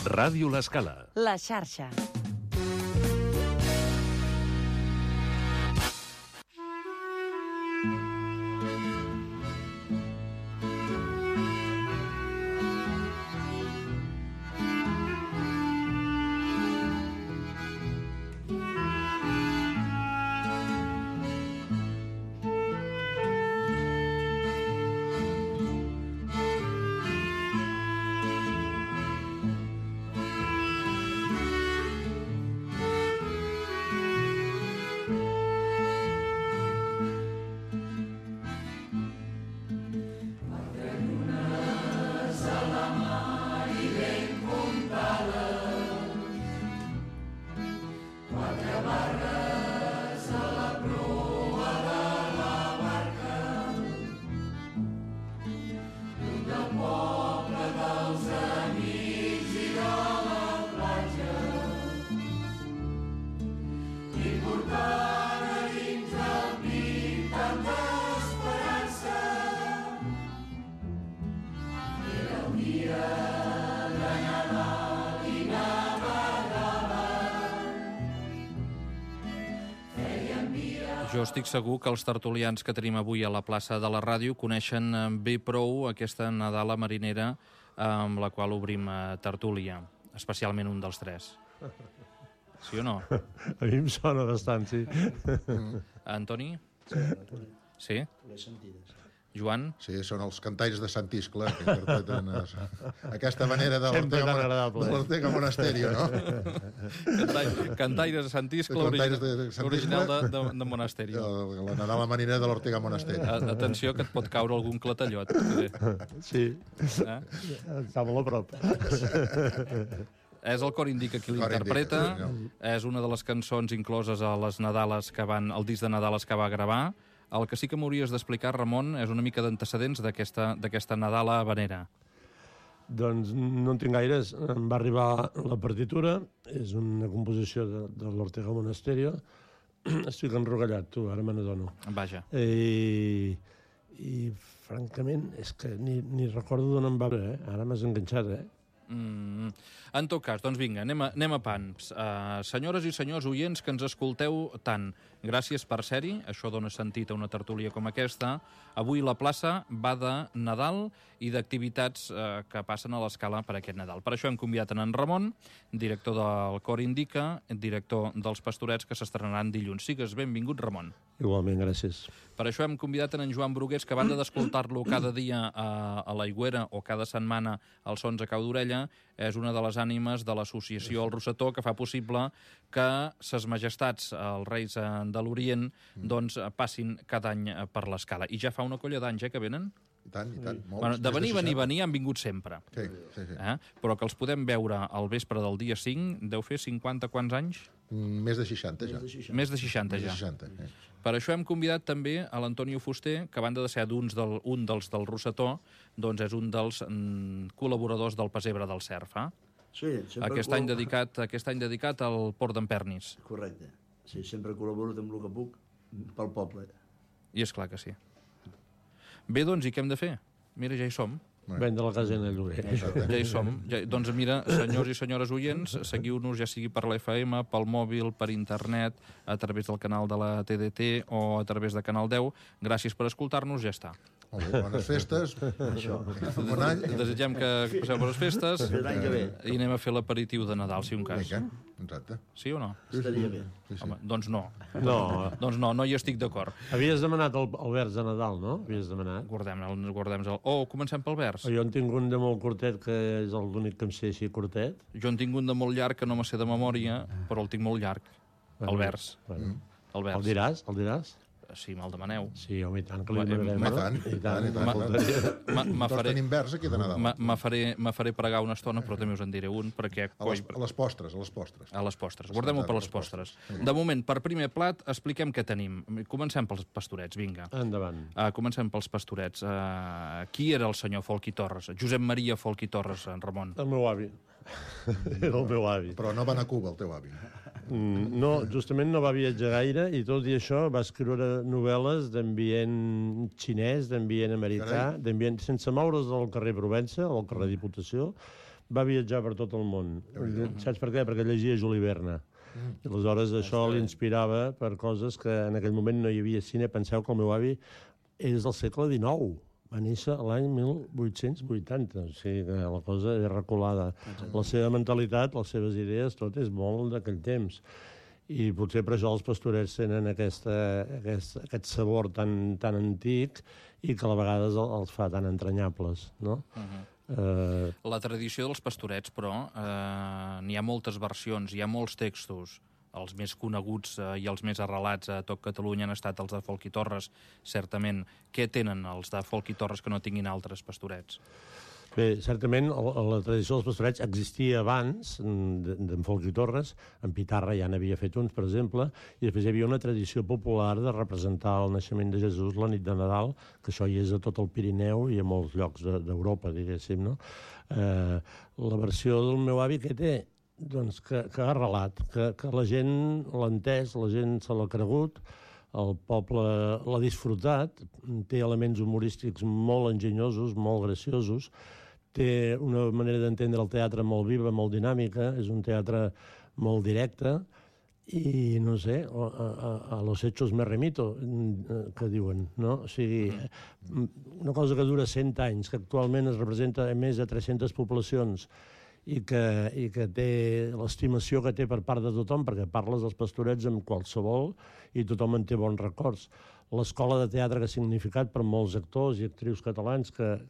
Ràdio L'Escala. La xarxa. Jo estic segur que els tertulians que tenim avui a la plaça de la ràdio coneixen bé prou aquesta Nadala marinera amb la qual obrim tertúlia, especialment un dels tres. Sí o no? A mi em sona bastant, sí. Antoni? Sí? Les sentides. Joan? Sí, són els cantaires de Sant Iscle que interpreten aquesta manera de l'Ortega Monasterio, no? Cantaires de Sant Iscle, original de Monasterio. La Nadala marinera de l'Ortega Monasterio. Atenció, que et pot caure algun clatellot. Sí, està molt a prop. És el Cor Indica qui l'interpreta, és una de les cançons incloses a les Nadales al disc de Nadales que va gravar. El que sí que m'hauries d'explicar, Ramon, és una mica d'antecedents d'aquesta Nadala habanera. Doncs no en tinc gaires. Em va arribar la partitura, és una composició de l'Ortega Monasterio. Estic enrogallat, tu, ara me n'adono. Vaja. I francament, és que ni recordo d'on em va bé, Ara m'has enganxat, En tot cas, doncs vinga, anem a pans. Senyores i senyors oients que ens escolteu tant, gràcies per ser-hi, això dona sentit a una tertúlia com aquesta. Avui la plaça va de Nadal i d'activitats que passen a l'Escala per aquest Nadal. Per això hem convidat en Ramon, director del Cor Indica, director dels Pastorets, que s'estrenaran dilluns. Sigues benvingut, Ramon. Igualment, gràcies. Per això hem convidat en Joan Brugués, que a banda d'escoltar-lo cada dia a l'Aigüera o cada setmana als Sons a Cau d'Orella, és una de les ànimes de l'associació El Rosetó, que fa possible que ses majestats, els reis de l'Orient, doncs passin cada any per l'Escala. I ja fa una colla d'anys, que venen? I tant. Bueno, de venir han vingut sempre. Sí. Però que els podem veure al vespre del dia 5, deu fer 50 quants anys? Més de 60, ja. Més de 60, ja. Per això hem convidat també a l'Antonio Fuster, que a banda de ser un dels del Rosetó, doncs és un dels col·laboradors del Pessebre del Cerf. Sí, aquest any dedicat al Port d'en Pernis. Correcte. Sí, sempre col·laboro amb el que puc pel poble. I és clar que sí. Bé, doncs, i què hem de fer? Mira, ja hi som. Vendre la casa en el lloguer. Ja hi som. Doncs mira, senyors i senyores oients, seguiu-nos ja sigui per l'FM, pel mòbil, per internet, a través del canal de la TDT o a través de Canal 10. Gràcies per escoltar-nos, ja està. Molt bé, bones festes. Bon any. Desitgem que passeu bones festes L'any que ve. i anem a fer l'aperitiu de Nadal, si un cas. Exacte. Sí o no? Estaria bé. Home, doncs no. No. Doncs no hi estic d'acord. Havies demanat el vers de Nadal, no? Havies demanat. Guardem-nos. Comencem pel vers. Jo en tinc un de molt curtet, que és l'únic que em sé així curtet. Jo en tinc un de molt llarg, que no me sé de memòria, però el tinc molt llarg. El vers. El vers. El diràs? El diràs? Sí, me'l demaneu. Sí, home, i tant que li demanarem. I tant. Tots tenim vers aquí de Nadal. Me faré pregar una estona, però també us en diré un, perquè... A les postres. A les postres. Guardem-ho per les postres. De moment, per primer plat, expliquem què tenim. Comencem pels pastorets, vinga. Endavant. Comencem pels pastorets. Qui era el senyor Folch i Torres? Josep Maria Folch i Torres, en Ramon. El meu avi. Era el meu avi. Però no va anar a Cuba, el teu avi. No, justament no va viatjar gaire i tot i això va escriure novel·les d'ambient xinès, d'ambient americà, d'ambient sense moure's del carrer Provença o del carrer Diputació. va viatjar per tot el món. Saps per què? Perquè llegia Juli Verne. I aleshores això l'inspirava per coses que en aquell moment no hi havia cine. Penseu que el meu avi és del segle XIX. Va néixer l'any 1880, o sigui que la cosa és reculada. La seva mentalitat, les seves idees, tot és molt d'aquell temps. I potser per això els pastorets tenen aquest sabor tan antic i que a la vegades els fa tan entranyables, no? La tradició dels pastorets, però, n'hi ha moltes versions, hi ha molts textos. Els més coneguts i els més arrelats a tot Catalunya han estat els de Folch i Torres, certament. Què tenen els de Folch i Torres que no tinguin altres pastorets? Bé, certament la tradició dels pastorets existia abans d'en Folch i Torres. En Pitarra ja n'havia fet uns, per exemple, i després hi havia una tradició popular de representar el naixement de Jesús la nit de Nadal, que això hi és a tot el Pirineu i a molts llocs d'Europa, diguéssim, no? La versió del meu avi que té, doncs que ha arrelat, que la gent l'ha entès, la gent se l'ha cregut, el poble l'ha disfrutat, té elements humorístics molt enginyosos, molt graciosos, té una manera d'entendre el teatre molt viva, molt dinàmica, és un teatre molt directe, i no sé, a los hechos me remito, que diuen, no? O sigui, una cosa que dura 100 anys, que actualment es representa a més de 300 poblacions, i que té l'estimació que té per part de tothom, perquè parles dels pastorets amb qualsevol i tothom en té bons records. L'escola de teatre que ha significat per molts actors i actrius catalans que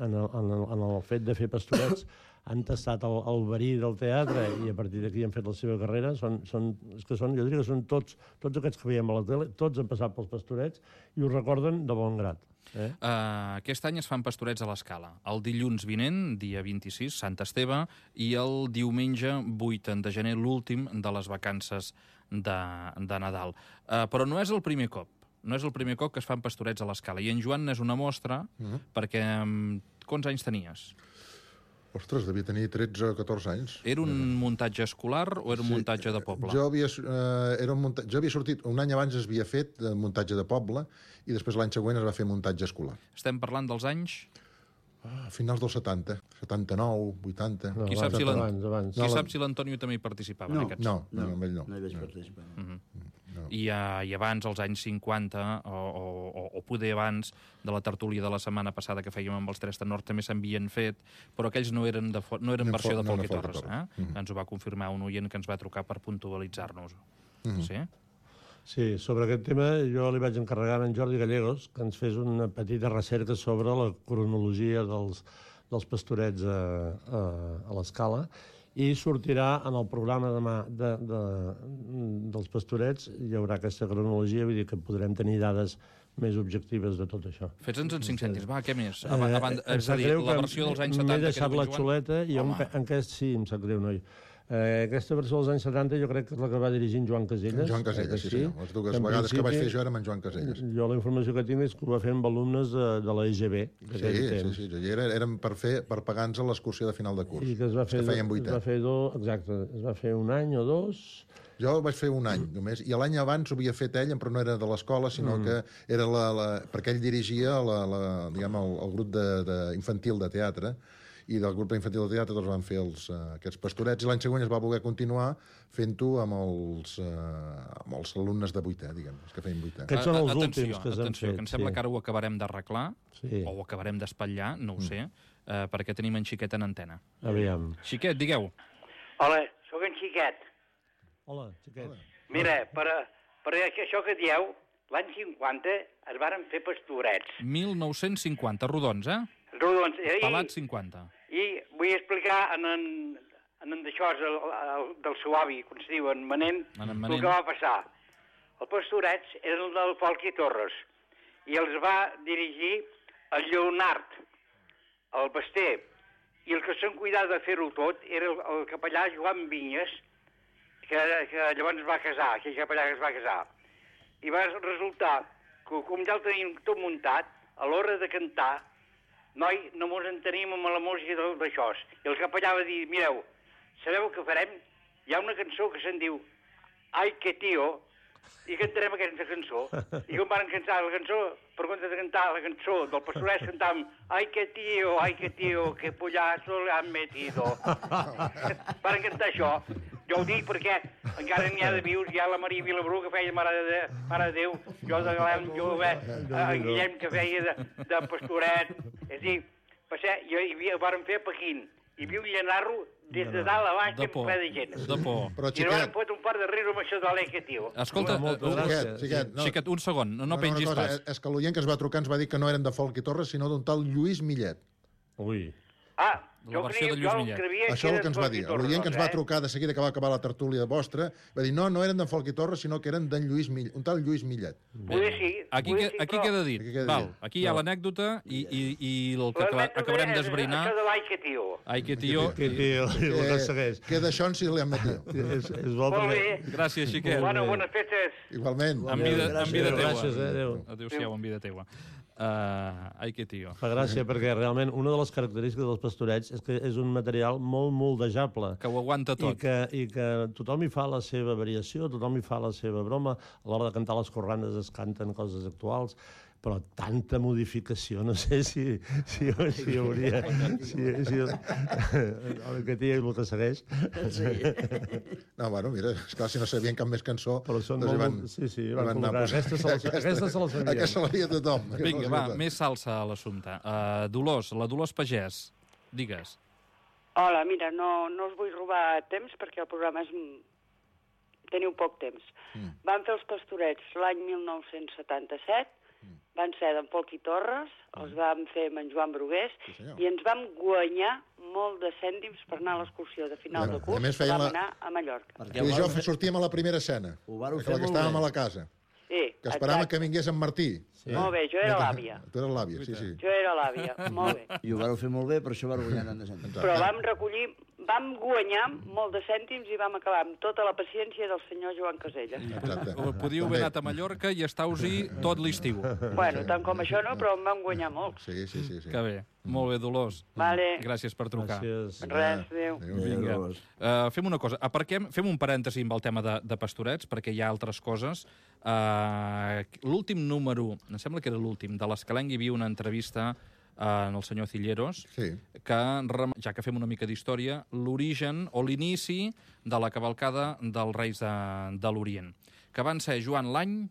en el fet de fer pastorets han tastat el verí del teatre i a partir d'aquí han fet la seva carrera, jo diria que són tots aquests que veiem a la tele, tots han passat pels pastorets i ho recorden de bon grat. Aquest any es fan pastorets a l'Escala. El dilluns vinent, dia 26, Sant Esteve, i el diumenge 8 de gener, l'últim de les vacances de Nadal. Però no és el primer cop. No és el primer cop que es fan pastorets a l'Escala. I en Joan n'és una mostra, perquè quants anys tenies? Ostres, devia tenir 13 o 14 anys. Era un muntatge escolar o era un muntatge de poble? Jo havia sortit, un any abans es havia fet muntatge de poble i després l'any següent es va fer muntatge escolar. Estem parlant dels anys? A finals dels 70, 79, 80... Qui sap si l'Antonio també hi participava en aquests? No, amb ell no. No hi vaig participar. I abans, als anys 50, o poder abans de la tertúlia de la setmana passada que fèiem amb els Tres Tenors, també s'havien fet, però aquells no eren versió de Folch i Torres. Ens ho va confirmar un oient que ens va trucar per puntualitzar-nos. Sí? Sí, sobre aquest tema jo li vaig encarregar a en Jordi Gallegos que ens fes una petita recerca sobre la cronologia dels pastorets a l'Escala i sortirà en el programa demà dels pastorets, hi haurà aquesta cronologia, vull dir que podrem tenir dades més objectives de tot això. Fes-nos en 5 cèntims, va, què més? És a dir, la versió dels anys 70... M'he deixat la xuleta i sí, em sap greu, noi. Aquesta versió dels anys 70 jo crec que és la que va dirigir en Joan Casellas. Joan Casellas, sí. Les dues vegades que vaig fer jo era amb en Joan Casellas. Jo la informació que tinc és que ho va fer amb alumnes de la EGB. Sí. Érem per pagar-nos l'excursió de final de curs. I que es va fer, exacte, es va fer un any o dos... Jo vaig fer un any només, i l'any abans ho havia fet ell, però no era de l'escola, sinó que era perquè ell dirigia el grup infantil de teatre, i del grup infantil de teatre doncs van fer aquests pastorets, i l'any següent es va voler continuar fent-ho amb els alumnes de vuitè, diguem, els que feien vuitè. Aquests són els últims que s'han fet. Que em sembla que ara ho acabarem d'arreglar, o ho acabarem d'espatllar, no ho sé, perquè tenim en Xiquet en antena. Aviam. Xiquet, digueu. Hola, sóc en Xiquet. Hola, Xiquet. Mira, per això que dieu, l'any 50 es varen fer pastorets. 1950, rodons, Rodons. Pelats 50. I vull explicar en d'això, del seu avi, com es diu, en Manent, el que va passar. Els pastorets eren del Folch i Torres, i els va dirigir el Lleonard, el Basté, i el que se'n cuidava de fer-ho tot era el capellà Joan Vinyes, que llavors es va casar, aquell capellà que es va casar. I va resultar que, com ja el tenim tot muntat, a l'hora de cantar, noi, no mos entenim amb la música d'això. I el capellà va dir, mireu, sabeu què farem? Hi ha una cançó que se'n diu Ai, que tio, i cantarem aquesta cançó. I quan van cantar la cançó, per compte de cantar la cançó del Pastorets, cantàvem ai que tío, que pollazo le han metido. Van cantar això. Jo ho dic perquè encara n'hi ha de vius, hi ha la Maria Vilabrú, que feia Mare de Déu, jo de Galem Jove, en Guillem, que feia de Pastoret. És a dir, vàrem fer a Pequín. Hi havia un llenarro des de dalt a baix, ple de gent. De por. Però, I van fotre un par de riure amb això de l'Ai que tío. Escolta, Xiquet, un segon, no pengis pas. És que l'oient que es va trucar ens va dir que no eren de Folk i Torres, sinó d'un tal Lluís Millet. Ui. Ah, La versió de Lluís Millet. Això és el que ens va dir. L'oient que ens va trucar de seguida que va acabar la tertúlia vostra va dir no eren d'en Folk i Torres, sinó que eren d'en Lluís Millet, un tal Lluís Millet. Aquí queda dit. Val, aquí hi ha l'anècdota i el que acabarem d'esbrinar... Això de l'Ai que tío. Ai que tío. Que d'això en si li han metido. És bo Molt bé. Gràcies, Xiquet. Bueno, bones festes. Igualment. En vida teua. Gràcies, adéu. Adéu-siau, en vida teua. Ai que tío. Fa gràcia perquè realment una de les característiques dels Pastorets és que és un material molt moldejable. Que ho aguanta tot. I que tothom hi fa la seva variació, tothom hi fa la seva broma. A l'hora de cantar les corranes es canten coses actuals, però tanta modificació, no sé si hauria... El que té i el que segueix. No, bueno, mira, esclar, si no sabien cap més cançó... Però són molt... Sí, van col·locar. Aquesta se la sabien. Aquesta se la sabia tothom. Vinga, va, més salsa a l'assumpte. Dolors, la Dolors Pagès, digues. Hola, mira, no us vull robar temps perquè el programa és... Teniu poc temps. Van fer els Pastorets l'any 1977, van ser d'en Folk i Torres, els vam fer amb en Joan Brugués, i ens vam guanyar molt de cèntims per anar a l'excursió de final de curs, que vam anar a Mallorca. I jo sortíem a la primera escena, que estàvem a la casa. Sí, que esperàvem que vingués en Martí. Molt bé, jo era l'àvia. Tu eres l'àvia, sí. Jo era l'àvia, molt bé. I ho vareu fer molt bé, per això vareu guanyar tant de cèntims. Però vam guanyar molt de cèntims i vam acabar amb tota la paciència del senyor Joan Caselles. Podíeu haver anat a Mallorca i estàu-hi tot l'estiu. Bueno, tant com això no, però en vam guanyar molt. Sí. Que bé. Molt bé, Dolors. Vale. Gràcies per trucar. Res, adéu. Vinga. Fem una cosa. Fem un parèntesi amb el tema de Pastorets, perquè hi ha altres coses. L'últim número, em sembla que era l'últim, de l'Escalenc hi havia una entrevista en el senyor Cilleros, que, ja que fem una mica d'història, l'origen o l'inici de la cavalcada dels Reis de l'Orient, que van ser, Joan, l'any...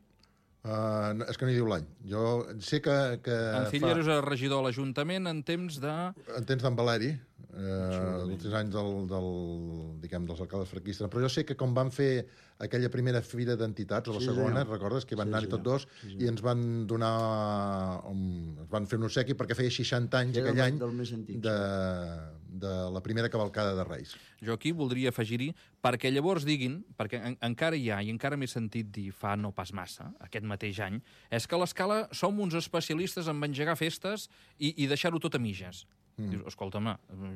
És que no hi diu l'any. Jo sé que en Cilleros era regidor a l'Ajuntament en temps de... En temps d'en Valeri, els anys dels alcaldes franquistes. Però jo sé que com van fer aquella primera fira d'entitats, o la segona, recordes, que van anar-hi tots dos, i ens van donar... Ens van fer un obsequi perquè feia 60 anys aquell any de la primera cavalcada de Reis. Jo aquí voldria afegir-hi, perquè llavors diguin, perquè encara hi ha, i encara m'he sentit dir fa no pas massa, aquest mateix any, és que a l'Escala som uns especialistes en engegar festes i deixar-ho tot a mitges. Dius, escolta'm,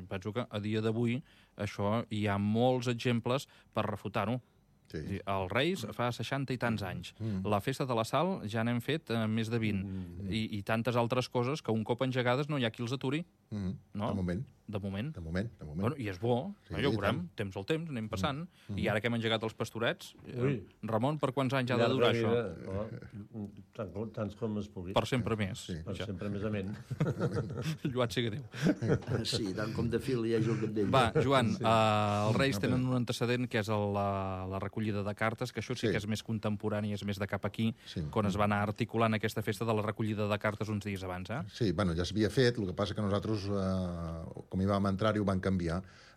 penso que a dia d'avui això hi ha molts exemples per refutar-ho. Sí. Els Reis fa 60 i tants anys. La festa de la Sal ja n'hem fet més de 20. I tantes altres coses que un cop engegades no hi ha qui els aturi. No? De moment. Bueno, i és bo, ja ho veurem, temps al temps, anem passant. I ara que hem engegat els Pastorets, Ramon, per quants anys ha de durar això? Tants com es pugui. Per sempre més. Per sempre més amén. Lluat sigui Déu. Sí, tant com de fil hi ha el cap d'ell. Va, Joan, els Reis tenen un antecedent que és la recollida de cartes, que això sí que és més contemporani, és més de cap aquí, quan es va anar articulant aquesta festa de la recollida de cartes uns dies abans, eh? Sí, bueno, ja s'havia fet, el que passa que nosaltres, com hi vam entrar-hi, ho van canviar.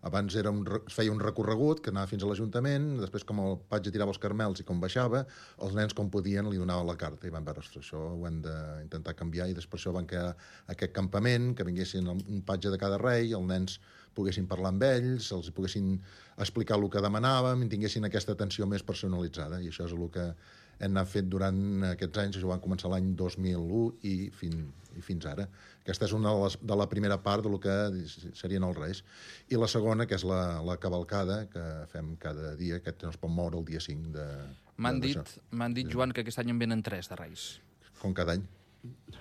Abans es feia un recorregut que anava fins a l'Ajuntament, després com el patge tirava els carmels i com baixava, els nens com podien li donaven la carta i van veure, això ho hem d'intentar canviar, i després això van crear aquest campament, que vinguessin un patge de cada rei, els nens poguessin parlar amb ells, els poguessin explicar el que demanàvem, i tinguessin aquesta atenció més personalitzada, i això és el que hem anat fet durant aquests anys. Això van començar l'any 2001 i fins ara. Aquesta és una de la primera part del que serien els Reis. I la segona, que és la cavalcada, que fem cada dia, que no es pot moure el dia 5 de... M'han dit, Joan, que aquest any en venen 3 de Reis. Com cada any.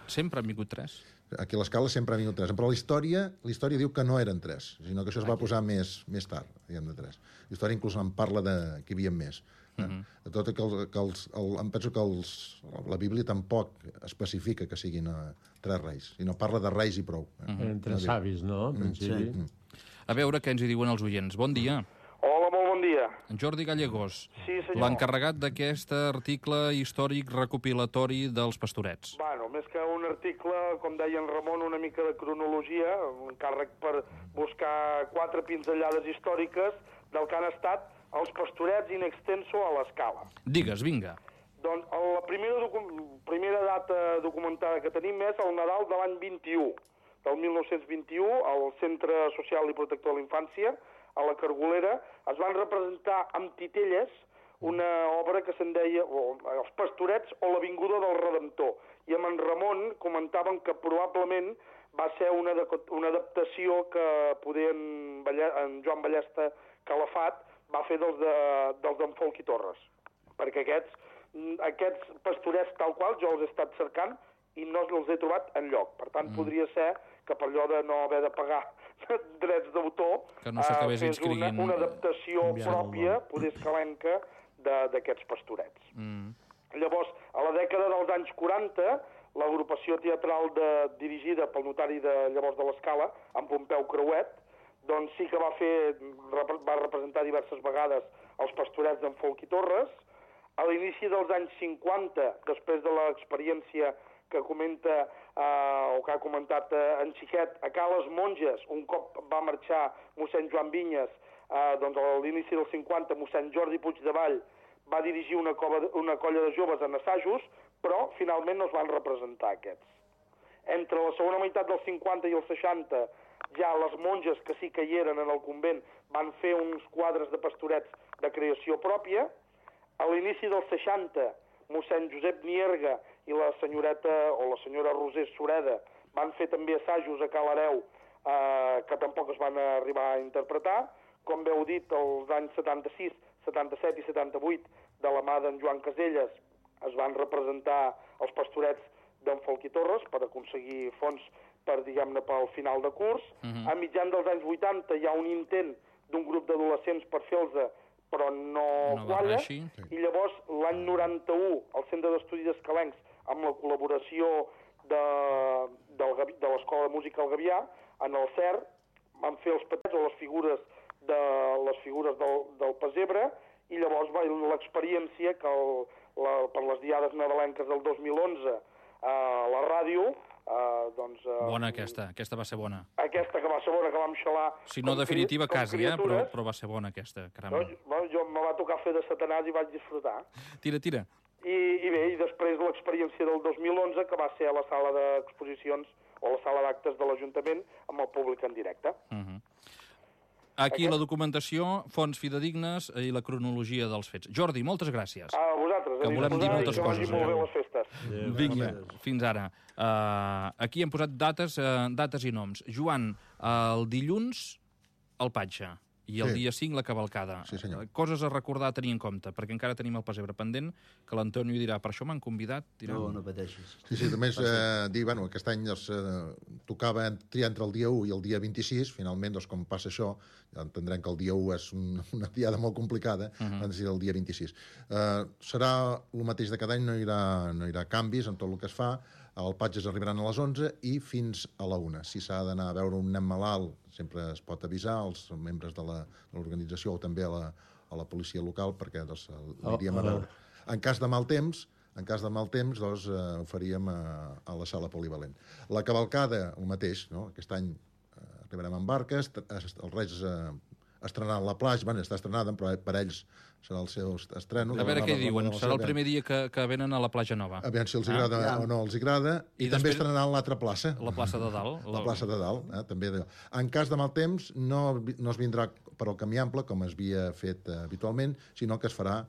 Sempre han vingut 3? Aquí a l'Escala sempre han vingut 3, però la història diu que no eren 3, sinó que això es va posar més tard, diguem de 3. La història inclús en parla que hi havia més. De tot em penso que la Bíblia tampoc especifica que siguin 3 reis, sinó parla de reis i prou. Entre savis, no? Sí. A veure què ens hi diuen els oients. Bon dia. Hola, molt bon dia. En Jordi Gallegos, Sí, senyor. l'encarregat d'aquest article històric recopilatori dels Pastorets. Bueno, més que un article, com deia en Ramon, una mica de cronologia, un càrrec per buscar 4 pinzellades històriques del que han estat els Pastorets in extenso a l'Escala. Digues, vinga. Doncs la primera data documentada que tenim és el Nadal de l'any 21, del 1921, al Centre Social i Protector de la Infància, a la Cargolera, es van representar amb titelles una obra que se'n deia Els Pastorets o l'Avinguda del Redemptor. I amb en Ramon comentaven que probablement va ser una adaptació que poder en Joan Ballesta Calafat va fer dels d'en Folch i Torres. Perquè aquests pastorets tal qual jo els he estat cercant i no els he trobat enlloc. Per tant, podria ser que per allò de no haver de pagar drets d'autor no fes una adaptació pròpia, poder escalenca, d'aquests pastorets. Llavors, a la dècada dels anys 40, l'agrupació teatral dirigida pel notari de llavors de l'Escala, en Pompeu Creuet, doncs sí que va representar diverses vegades els pastorets d'en Folch i Torres. A l'inici dels anys 50, després de l'experiència que comenta o que ha comentat en Xiquet, a Cales Monges, un cop va marxar mossèn Joan Vinyes, doncs a l'inici dels 50, mossèn Jordi Puigdevall va dirigir una colla de joves en assajos, però finalment no es van representar aquests. Entre la segona meitat dels 50 i els 60, ja les monges que sí que hi eren en el convent van fer uns quadres de pastorets de creació pròpia. A l'inici dels 60, mossèn Josep Nierga i la senyoreta o la senyora Roser Sureda van fer també assajos a Cal Hereu que tampoc es van arribar a interpretar. Com bé heu dit, els anys 76, 77 i 78, de la mà d'en Joan Caselles, es van representar els pastorets d'en Folch i Torres per aconseguir fons per, diguem-ne, pel final de curs. A mitjan dels anys 80 hi ha un intent d'un grup d'adolescents per fer-los, però no qualla. I llavors, l'any 91, el Centre d'Estudis Escalencs, amb la col·laboració de l'Escola de Música al Gavià, en el CERN, van fer els petets o les figures del pessebre, i llavors va l'experiència que per les diades nadalenques del 2011 a la ràdio, doncs... Bona aquesta va ser bona. Aquesta que va ser bona, que vam xalar... Si no definitiva, quasi, però va ser bona aquesta, caram. Jo me va tocar fer de Satanàs i vaig disfrutar. Tira. I bé, i després l'experiència del 2011, que va ser a la sala d'exposicions o la sala d'actes de l'Ajuntament amb el públic en directe. Aquí la documentació, fonts fidedignes i la cronologia dels fets. Jordi, moltes gràcies. A vosaltres. Que volem dir moltes coses. Que vagi molt bé les festes. Vinga, fins ara. Aquí hem posat dates i noms. Joan, el dilluns, el Patge. I el dia 5, la cavalcada. Sí, senyor. Coses a recordar, a tenir en compte, perquè encara tenim el pessebre pendent, que l'Antonio dirà, per això m'han convidat. No pateixis. Sí, només dir, bueno, aquest any tocava triar entre el dia 1 i el dia 26, finalment, doncs, com passa això, ja entendrem que el dia 1 és una diada molt complicada, doncs el dia 26. Serà el mateix de cada any, no hi haurà canvis en tot el que es fa. El Patges arribaran a les 11 i fins a la 1. Si s'ha d'anar a veure un nen malalt, sempre es pot avisar als membres de l'organització o també a la policia local, perquè l'aniríem a veure. En cas de mal temps, doncs, ho faríem a la sala polivalent. La cavalcada, el mateix, no? Aquest any arribarem amb barques, els Reis estrenaran la platja, està estrenada, però per ells serà el seu estreno. A veure què diuen, serà el primer dia que venen a la platja nova. A veure si els agrada o no els agrada. I també estrenaran l'altra plaça. La plaça de dalt. La plaça de dalt, també. En cas de mal temps, no es vindrà per al camí ample, com es havia fet habitualment, sinó que es farà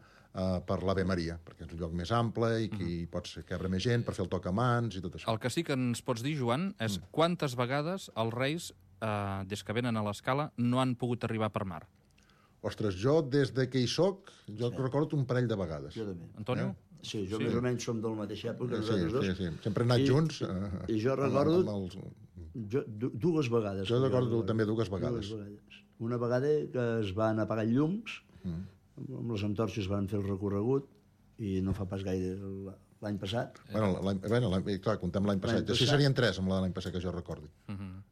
per l'Ave Maria, perquè és un lloc més ample i que hi pots cabre més gent per fer el toc a mans i tot això. El que sí que ens pots dir, Joan, és quantes vegades els Reis, des que venen a l'Escala, no han pogut arribar per mar? Ostres, jo des de que hi soc, recordo un parell de vegades. Jo també. Antonio? Sí, jo més o menys som de la mateixa època. Sí. Sempre hem anat junts. I jo recordo dues vegades. Jo recordo també dues vegades. Una vegada que es van apagar llums, amb les antorxes van fer el recorregut i no fa pas gaire l'any passat. Clar, comptem l'any passat. Així serien 3 amb l'any passat, que jo recordi.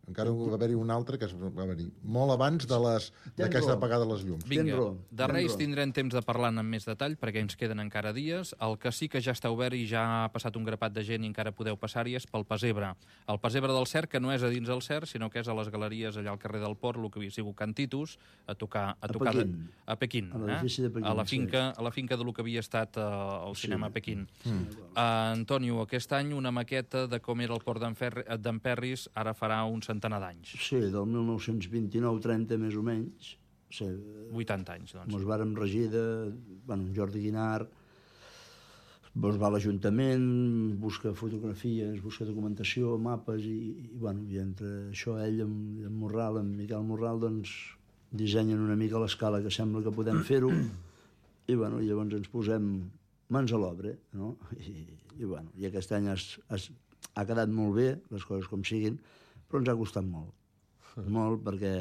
Encara va haver-hi un altre que va venir molt abans d'aquesta apagada de les llums. Vinga, de Reis tindrem temps de parlar en més detall, perquè ens queden encara dies. El que sí que ja està obert i ja ha passat un grapat de gent i encara podeu passar-hi és pel Pessebre. El Pessebre del Cerc, que no és a dins del Cerc, sinó que és a les galeries allà al carrer del Port, el que havia sigut Can Titus, a Pequín. A l'edifici de Pequín. A la finca de lo que havia estat el cinema Pequín. Antonio, aquest any una maqueta de com era el port d'Emperris ara farà un centenar d'anys. Sí, del 1929-30 més o menys. Sí, 80 anys, doncs. Ens vàrem regir de... Jordi Guinart va a l'Ajuntament, busca fotografies, busca documentació, mapes, i entre això ell, en Morral, en Miquel Morral, doncs dissenyen una mica l'escala que sembla que podem fer-ho, i llavors ens posem mans a l'obra, no? I aquest any ha quedat molt bé, les coses com siguin, però ens ha costat molt. Molt, perquè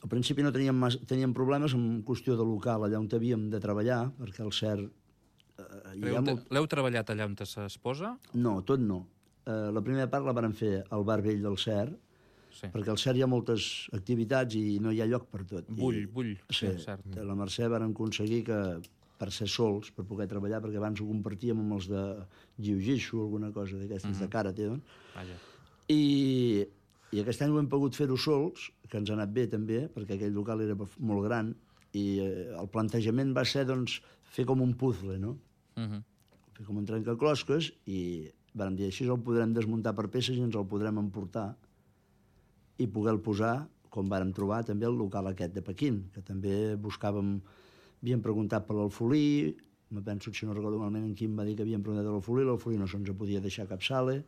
al principi no teníem problemes en qüestió de local, allà on havíem de treballar, perquè el CERC... L'heu treballat allà on es posa? No, tot no. La primera part la vàrem fer al bar vell del CERC, perquè al CERC hi ha moltes activitats i no hi ha lloc per tot. Bull, sí, cert. La Mercè vàrem aconseguir que per ser sols, per poder treballar, perquè abans ho compartíem amb els de jiu-jitsu o alguna cosa d'aquestes de karate, I aquest any ho hem pogut fer-ho sols, que ens ha anat bé també, perquè aquell local era molt gran, i el plantejament va ser, doncs, fer com un puzzle, no? Fer com un trencaclosques, i vam dir, així el podrem desmuntar per peces i ens el podrem emportar i poder-lo posar, com vàrem trobar també el local aquest de Pequín, que també buscàvem. Havíem preguntat per l'Alfolí, me penso, si no recordo malament, en Quim va dir que havíem preguntat per l'Alfolí no se'ns podia deixar cap sala.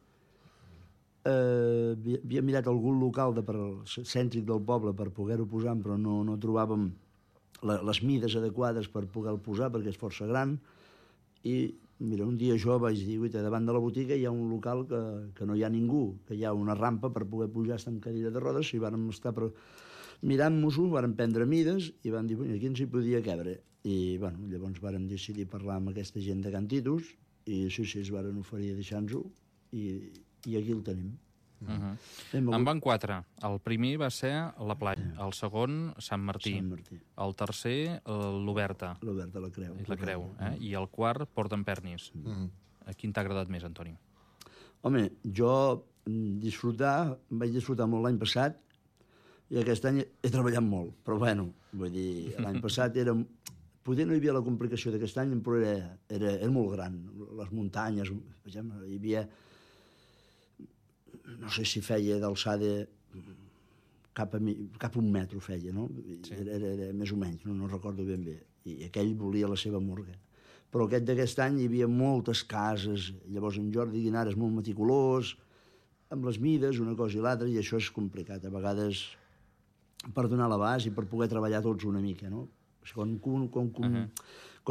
Havíem mirat algun local cèntric del poble per poder-ho posar, però no trobàvem les mides adequades per poder-lo posar, perquè és força gran. I, mira, un dia jo vaig dir, davant de la botiga hi ha un local que no hi ha ningú, que hi ha una rampa per poder pujar, estar en cadira de rodes, i vàrem estar mirant-nos-ho, vàrem prendre mides i vam dir, aquí ens hi podia cabre. I llavors vàrem decidir parlar amb aquesta gent de Can Titus i sí, es varen oferir a deixar-nos-ho i aquí el tenim. En van 4. El primer va ser la Platja, el segon Sant Martí, el tercer l'Oberta. L'Oberta, la Creu. La Creu, i el quart Port d'Empernis. Quin t'ha agradat més, Antoni? Home, jo vaig disfrutar molt l'any passat, i aquest any he treballat molt, però vull dir, l'any passat era... Poder no hi havia la complicació d'aquest any, però era molt gran. Les muntanyes, hi havia... No sé si feia d'alçada cap a un metro feia, no? Era més o menys, no recordo ben bé. I aquell volia la seva morga. Però d'aquest any hi havia moltes cases, llavors en Jordi Guinart és molt meticulós, amb les mides, una cosa i l'altra, i això és complicat. A vegades... per donar l'abast i per poder treballar tots una mica, no? Quan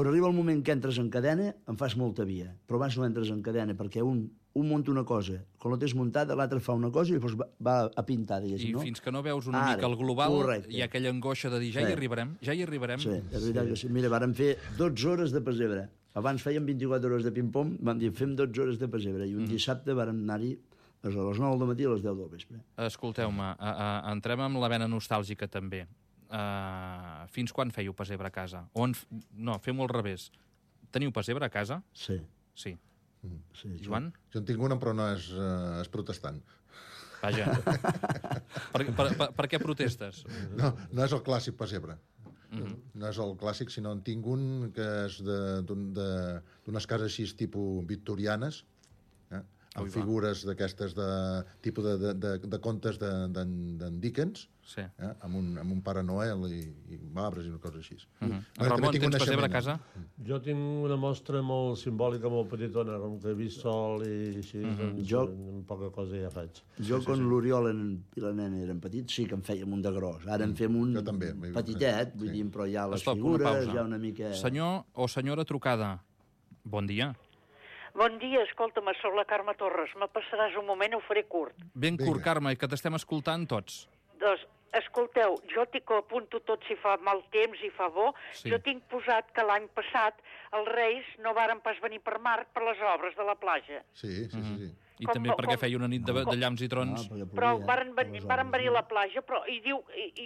arriba el moment que entres en cadena, em fas molta via, però abans no entres en cadena, perquè un munta una cosa, quan la tens muntada, l'altre fa una cosa i llavors va a pintar, diguéssim, no? I fins que no veus una mica el global, hi ha aquella angoixa de dir, ja hi arribarem. Sí, és veritat que sí. Mira, vàrem fer 12 hores de pessebre. Abans fèiem 24 hores de ping-pong, vam dir, fem 12 hores de pessebre, i un dissabte vàrem anar-hi a les 9 del matí a les 10 del vespre. Escolteu-me, entrem amb la vena nostàlgica també. Fins quan fèieu pessebre a casa? No, fem-ho al revés. Teniu pessebre a casa? Sí. Sí. Joan? Jo en tinc una, però no és protestant. Vaja. Per què protestes? No és el clàssic pessebre. No és el clàssic, sinó en tinc un que és d'unes cases així tipus victorianes, amb figures d'aquestes de tipus de contes d'en Dickens, amb un Pare Noel i arbres i una cosa així. Ramon, tens pessebre a casa? Jo tinc una mostra molt simbòlica, molt petitona, com que he vist sol i així, doncs amb poca cosa ja faig. Jo, quan l'Oriol i la nena eren petits, sí que en fèiem un de gros. Ara en fem un petitet, vull dir, però hi ha les figures, hi ha una mica... Senyor o senyora trucada, bon dia. Bon dia, escolta'm, soc la Carme Torres. Me passaràs un moment, ho faré curt. Ben curt, Carme, que t'estem escoltant tots. Doncs, Escolteu, jo que apunto tot si fa mal temps i fa bo, jo tinc posat que l'any passat els Reis no varen pas venir per mar per les obres de la platja. Sí. I també perquè feia una nit de llamps i trons. Però varen venir a la platja, i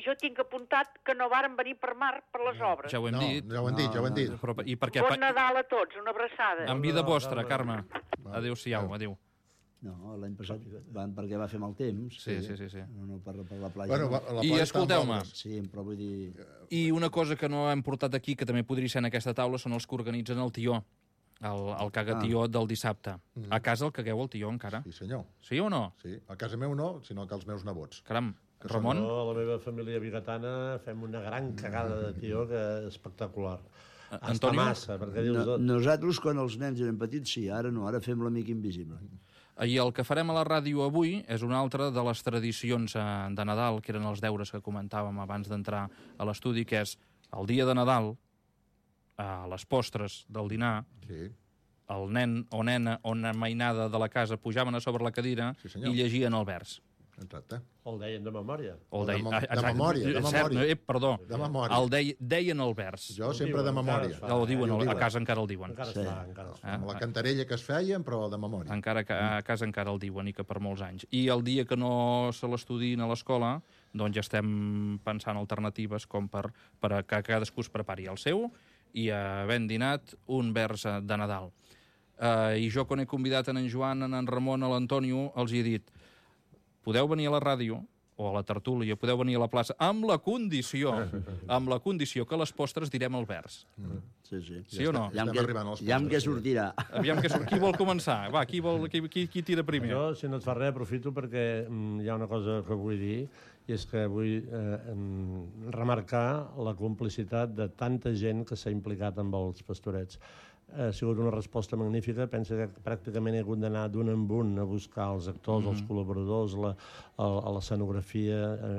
jo tinc apuntat que no varen venir per mar per les obres. Ja ho hem dit. Ja ho hem dit. I perquè... Bon Nadal a tots, una abraçada. En vida vostra, Carme. Adéu-siau, adéu. No, l'any passat van perquè va fer mal temps. Sí. No per la platja. Bueno, I escolteu-me. Sí, però vull dir... I una cosa que no hem portat aquí, que també podria ser en aquesta taula, són els que organitzen el tió. El cagatió del dissabte. A casa el cagueu el tió encara? Sí, senyor. Sí o no? Sí, a casa meu no, sinó que els meus nebots. Caram, Ramon? No, a la meva família bigatana fem una gran cagada de tió que és espectacular. Antonio? Massa, perquè dius... Nosaltres, quan els nens eren petits, sí, ara no, ara fem l'amic invisible. I el que farem a la ràdio avui és una altra de les tradicions de Nadal, que eren els deures que comentàvem abans d'entrar a l'estudi, que és el dia de Nadal, a les postres del dinar, el nen o nena o una mainada de la casa pujaven a sobre la cadira i llegien el vers. Exacte. El deien de memòria. De memòria. Perdó. De memòria. Deien el vers. Jo sempre de memòria. A casa encara el diuen. Encara està. Amb la cantarella que es feien, però de memòria. A casa encara el diuen, i que per molts anys. I el dia que no se l'estudiïn a l'escola, doncs ja estem pensant alternatives com per que cadascú es prepari el seu i havent dinat un vers de Nadal. I jo, quan he convidat en Joan, en Ramon, a l'Antonio, els he dit: podeu venir a la ràdio o a la tertúlia, podeu venir a la plaça, amb la condició que a les postres direm el vers. Sí o no? Aviam què sortirà. Qui vol començar? Va, qui tira primer? Jo, si no et fa res, aprofito perquè hi ha una cosa que vull dir, i és que vull remarcar la complicitat de tanta gent que s'ha implicat amb els pastorets. Ha sigut una resposta magnífica. Pensa que pràcticament he hagut d'anar d'un en un a buscar els actors, els col·laboradors, l'escenografia.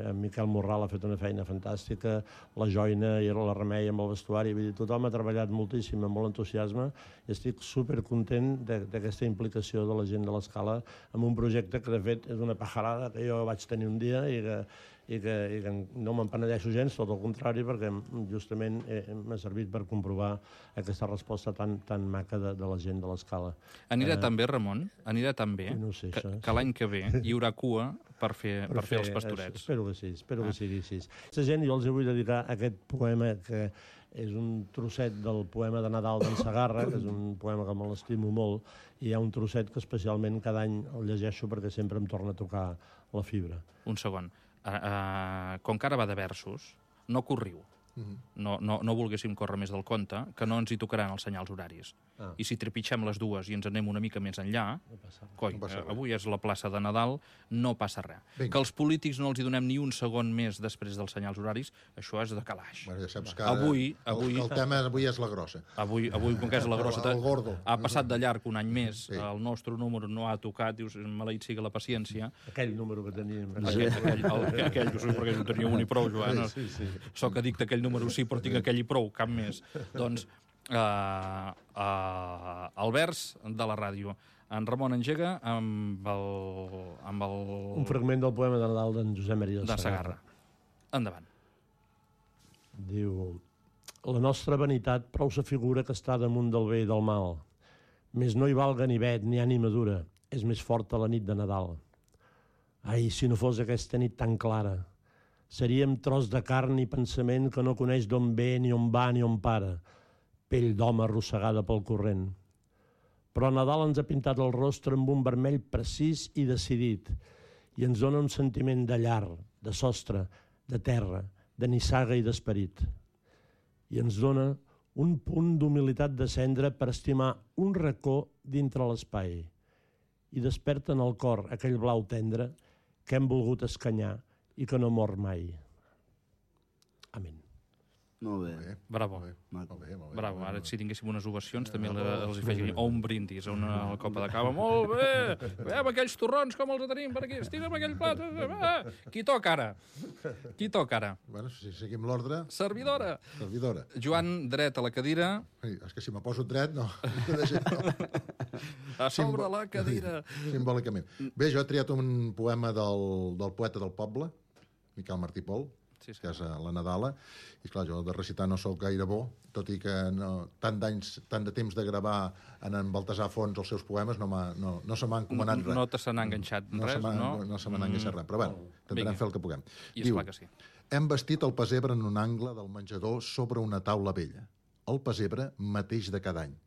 En Miquel Morral ha fet una feina fantàstica, la Joina i la Remei amb el vestuari. Vull dir, tothom ha treballat moltíssim, amb molt entusiasme, i estic supercontent d'aquesta implicació de la gent de l'Escala en un projecte que, de fet, és una pajarada que jo vaig tenir un dia i que no me'n penedeixo gens, tot el contrari, perquè justament m'ha servit per comprovar aquesta resposta tan maca de la gent de l'Escala. Anirà tan bé, Ramon? Anirà tan bé no sé, que l'any que ve hi haurà cua per fer els pastorets? Espero que sigui així. Aquesta gent, jo els vull dedicar aquest poema que és un trosset del poema de Nadal d'en Segarra, que és un poema que me l'estimo molt, i hi ha un trosset que especialment cada any el llegeixo perquè sempre em torna a tocar la fibra. Un segon. Com que ara va de versos, no corriu. No volguéssim córrer més del compte, que no ens hi tocaran els senyals horaris. I si trepitgem les dues i ens anem una mica més enllà, avui és la plaça de Nadal, no passa res. Que els polítics no els hi donem ni un segon més després dels senyals horaris, això és de calaix. Ja saps que el tema avui és la grossa. Avui, com que és la grossa, el gordo. Ha passat de llarg un any més, el nostre número no ha tocat, dius, maleït siga la paciència. Aquell número que teníem. Aquell, perquè no tenia un i prou, Joan. Sóc addicte a aquell número, sí, però tinc aquell i prou, cap més. Doncs el vers de la ràdio. En Ramon engega amb el... Un fragment del poema de Nadal d'en Josep Maria de Segarra. Endavant. Diu: la nostra vanitat prou s'afigura que està damunt del bé i del mal. Més no hi valga ni vet ni ànima dura, és més forta la nit de Nadal. Ai, si no fos aquesta nit tan clara, seríem tros de carn i pensament que no coneix d'on ve, ni on va, ni on para, pell d'home arrossegada pel corrent. Però Nadal ens ha pintat el rostre amb un vermell precís i decidit, i ens dona un sentiment de llar, de sostre, de terra, de nissaga i d'esperit. I ens dona un punt d'humilitat de cendra per estimar un racó dintre l'espai, i desperta en el cor aquell blau tendre que hem volgut escanyar i que no mor mai. Amén. Molt bé. Bravo. Bravo. Ara, si tinguéssim unes ovacions, també els hi feia un brindis a una copa de cava. Molt bé! Veiem aquells torrons, com els tenim per aquí. Estira'm aquell plat. Qui toca ara? Bueno, si seguim l'ordre... Servidora. Joan, dret a la cadira. És que si me poso dret, no. A sobre la cadira. Simbòlicament. Bé, jo he triat un poema del poeta del poble, Miquel Martí Pol, que és la Nadala, i clar, jo de recitar no sóc gaire bo, tot i que tant de temps de gravar en Baltasar Fons els seus poemes no se m'ha encomanat res. No te se n'ha enganxat res, no? No se m'ha enganxat res, però bueno, intentarem fer el que puguem. I esclar que sí. Hem vestit el pessebre en un angle del menjador sobre una taula vella. El pessebre mateix de cada any.